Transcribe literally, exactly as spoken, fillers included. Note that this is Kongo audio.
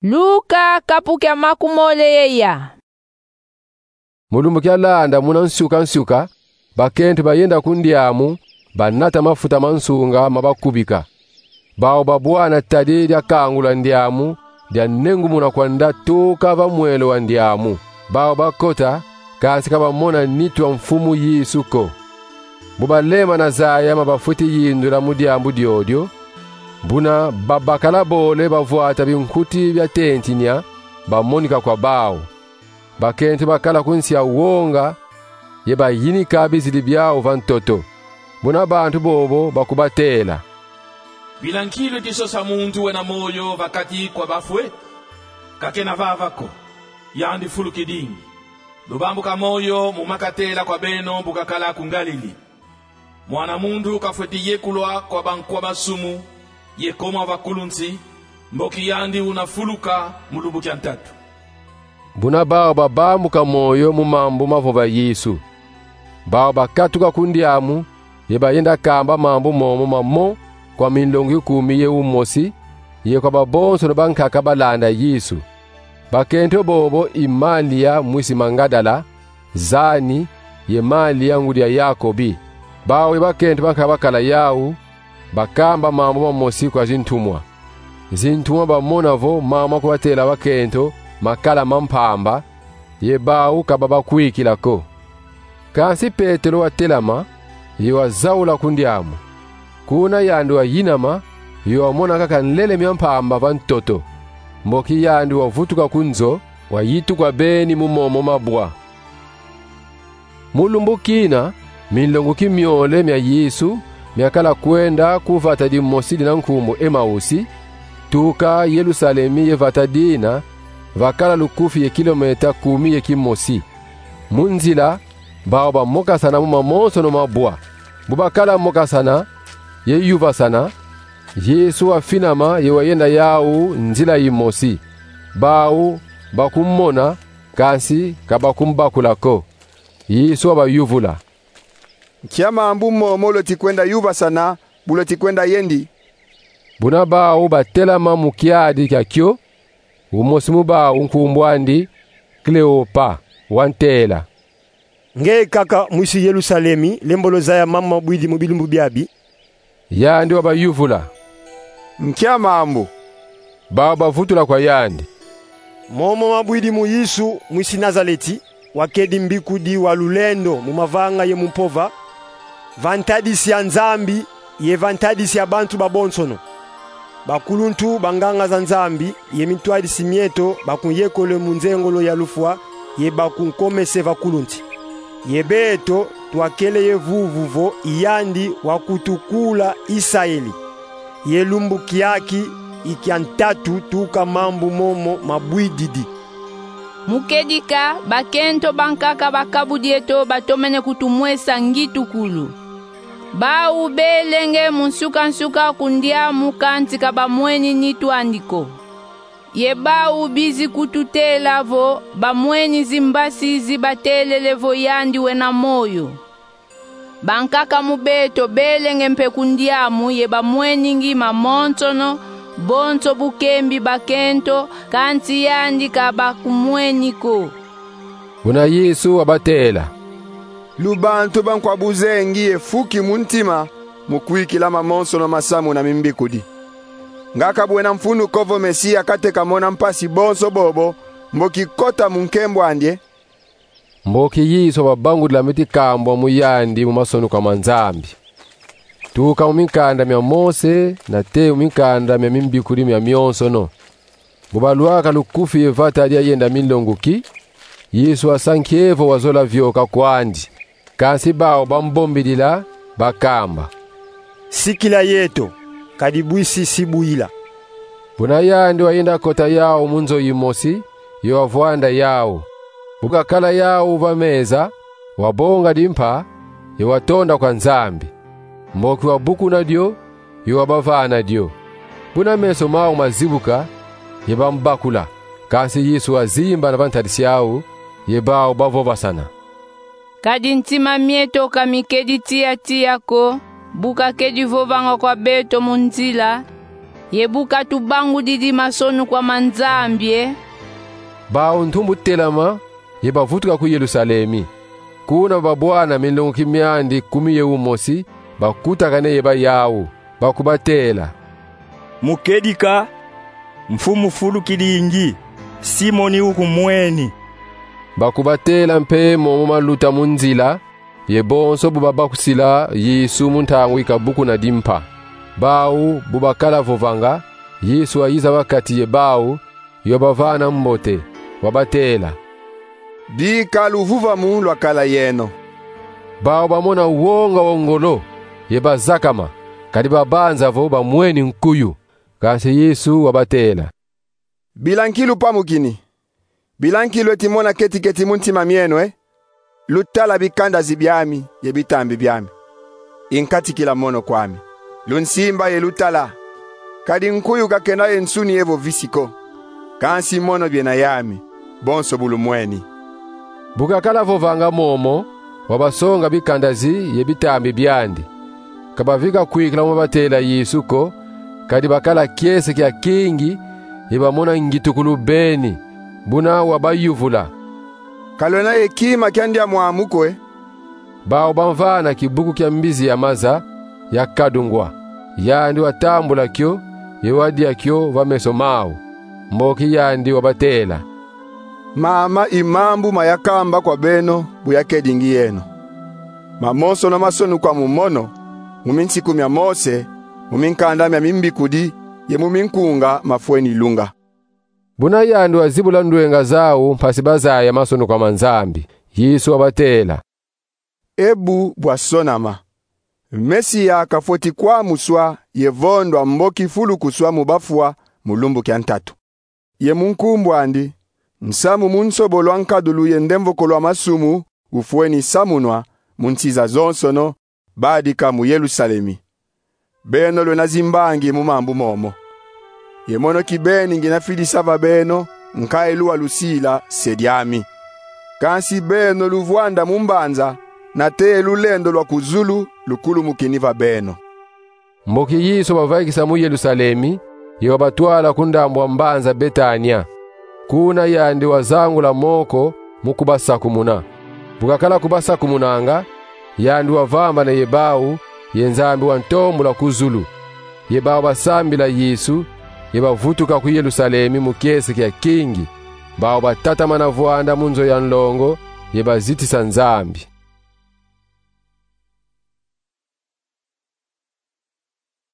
Luka, kapu kia makumole ye ya. Mu lumbu kialanda, muna nsuka-nsuka, bakento bayenda ku ndiamu, banata mafuta ma nsunga ma bakubika. Bau babwana tadi dia kangula ndiamu, dia nengumuna kwanda tuka va mwelo wa ndiamu. Bau bakota, kansi ka bamona nitu a Mfumu Yesu ko. Bu balembana zaya ma bafweti yindula mu diambu diodio, buna babakala bole bavwata binkuti bia tentinia, bamonika kwa bau. Bakento bakala ku nsi a wonga, ye bayinika bizidi biau va ntoto. Buna bantu bobo bakubatela: Bila nkilu disosa muntu wena moyo va kati kwa bafwe? Ka kena vava ko, yandi fulukidingi. Lubambu ka moyo mu makatela kwa beno bu kakala ku Ngalili. Mwana muntu kafweti yekulwa kwa bankwa masumu, ye koma va kulu nsi, mboki yandi una fuluka mu lumbu kia ntatu. Buna bau babambuka moyo mu mambu mavova Yesu. Bau bakatuka ku ndiamu, ye bayenda kamba mambu momo mamo kwa minlongi kumi ye umosi, ye kwa babonsono bankaka balanda Yesu. Bakento bobo i Malia mwisi Magadala, zani, ye Malia ngudi a Yakobi. Bau ye bakento bankaka bakala yau, bakamba mambu mamosi kwa zintumwa. Zintumwa bamona vo mambu makubatela bakento makala ma mpamba, ye bau ka babakwikila ko. Kansi Petelo watelama, ye wazaula ku ndiamu. Kuna yandi wayinama, ye wamona kaka nlele mia mpamba va ntoto. Mboki yandi wavutuka ku nzo, wayitukwa beni mu momo mabwa. Mu lumbu kina, minlonguki miole mia Yesu miakala kwenda ku vata dimosi dina nkumbu Emausi, tuka Yelusalemi ye vata dina, vakala lukufi ye kilometa kumi ye kimosi. Mu nzila, bau bamokasana mu mamonsono mabwa. Bu bakala mokasana ye yuvasana, Yesu wafinama ye wayenda yau nzila yimosi. Bau bakumona, kansi ka bakumbakula ko. Yesu wabayuvula: Nkia mambu momo lweti kwenda yuvasana, bu lweti kwenda yendi? Buna bau batelama mu kiadi kia kio, umosi mu bau nkumbu andi Kleopa wantela: Nge kaka mwisi Yelusalemi, lembolo zaya mambu mabwidi mu bilumbu biabi? Yandi wabayuvula: Nkia mambu? Bau bavutula kwa yandi: Momo mabwidi mu Yesu, mwisi Nazaleti, wakedi mbikudi wa lulendo mu mavanga ye mu mpova, va ntadisi a Nzambi ye va ntadisi a bantu babonsono. Bakuluntu, banganga za Nzambi ye mitwadisi mieto bakunyekole mu nzengolo ya lufwa ye bakunkomese va kulu nsi. Ye beto twakele ye vuvu vo i yandi wakutukula Isaeli. Ye lumbu kiaki i kia ntatu tuka mambu momo mabwididi. Mu kedika, bakento bankaka bakabu dieto batomene kutumwesa ngitukulu. Bau belenge mu nsuka-nsuka ku ndiamu, kansi ka bamweni nitu andi ko. Ye bau bizi kututela vo bamweni zimbasi zi batelele vo yandi wena moyo. Bankaka mu beto belenge mpe ku ndiamu ye bamweningi mamonsono bonso bu kembi bakento, kansi yandi ka bakumweni ko. Buna Yesu wabatela: Lubantu bankwa buzengi ye fuki mu ntima mu kwikila mamonsono masamuna mimbikudi. Nga ka bwena mfunu ko vo Mesia kateka mona mpasi bonso bobo, mboki kota mu nkembo andi e? Mboki Yesu wababangudila miti kambwa mu yandi mu masonuka ma Nzambi, tuka mu minkanda mia Mose nate mu minkanda mia mimbikudi mia mionsono. Bu balwaka lukufi ye vata dia yenda minlonguki, Yesu wasa nkie vo wazola vioka kwandi. Kansi bau bambombidila, bakamba: Sikila yeto, kadi bwisi si buyila. Buna yandi wayenda kota yau mu nzo yimosi, ye wavwanda yau. Bu kakala yau va meza, wabonga dimpa, ye watonda kwa Nzambi. Mboki wabukuna dio, ye wabavana dio. Buna meso mau mazibuka, ye bambakula. Kansi Yesu wazimbana va ntadisi au, ye bau bavovasana: Kadi ntima mieto ka mikedi tiya-tiya ko, bu kakedi vovanga kwa beto mu nzila, Ye bu katubangudidi masonukwa ma Nzambi, e? Bau ntumbu telama, ye bavutuka ku Yerusalemi. Kuna babwana minlongoki miandi kumi ye umosi, bakutakane ye bayau, bakubatela: Mu kedika, mfumu fulukidingi, Simoni ukumweni. Bakubatela mpe momo maluta mu nzila, ye bonso bu babakusila Yesu mu ntangu ikabukuna dimpa. Bau bu bakala vovanga, Yesu wayiza va kati ye bau, ye wabavana mbote, wabatela: Bika luvuvamu lwakala yeno. Bau bamona wonga wa ngolo, ye bazakama, kadi babanza vo bamweni nkuyu. Kansi Yesu wabatela: Bila nki lupamukini? Bila nki lweti mona keti-keti mu ntima mieno, e? Lutala bikandazi biami ye bitambi biami. Inkatikila mono kwami. Lunsimba ye lutala. Kadi nkuyu ka kena ye nsuni evo visi ko. Kansi mono biena yami, bonso bu lumweni. Bu kakala vovanga momo, wabasonga bikandazi ye bitambi biandi. Ka bavika kwikila mu batela Yesu ko, kadi bakala kiese kia kingi, ye bamona ngitukulu beni, buna wabayuvula: Ka lwena ye kima kia ndia mwamu ko, e? Bau bamvana kibuku kia mbizi ya maza ya kadungwa. Yandi watambula kio, ye wadia kio va meso mau. Mboki yandi wabatela: Mama i mambu mayakamba kwa beno bu yakedingi yeno. Mamonsono masonukwa mu mono, mu minsiku mia Mose, mu minkanda mia mimbikudi, ye mu minkunga mafweni lunga. Buna yandi wazibula ndwenga zau mpasi bazaya masonukwa ma Nzambi, Yesu wabatela: E bu bwasonama: Mesia kafweti kwamuswa ye vondwa mboki fulukuswa mu bafwa mu lumbu kia ntatu. Ye mu nkumbu andi, nsamu mu nsobolo a nkadulu ye ndemvokolo a masumu ufweni samunwa mu nsi zazonsono, badika mu Yerusalemi. Beno lwena zimbangi mu mambu momo. Ye mono kibeni ngina fidisa va beno nkayilu wa lusila se diami. Kansi beno luvwanda mu mbanza, nate lulendo lwa ku zulu lukulumukini va beno. Mboki Yesu wabavaikisa mu Yerusalemi, ye wabatwala ku ndambu a mbanza Betania. Kuna yandi wazangula moko mu kubasakumuna. Bu kakala kubasakumunanga, yandi wavambana ye bau, ye Nzambi wantombula ku zulu. Ye bau basambila Yesu, ye bavutuka ku Yerusalemi mu kiese kia kingi. Bau batatamana vwanda mu nzo ya nlongo, ye bazitisa Nzambi.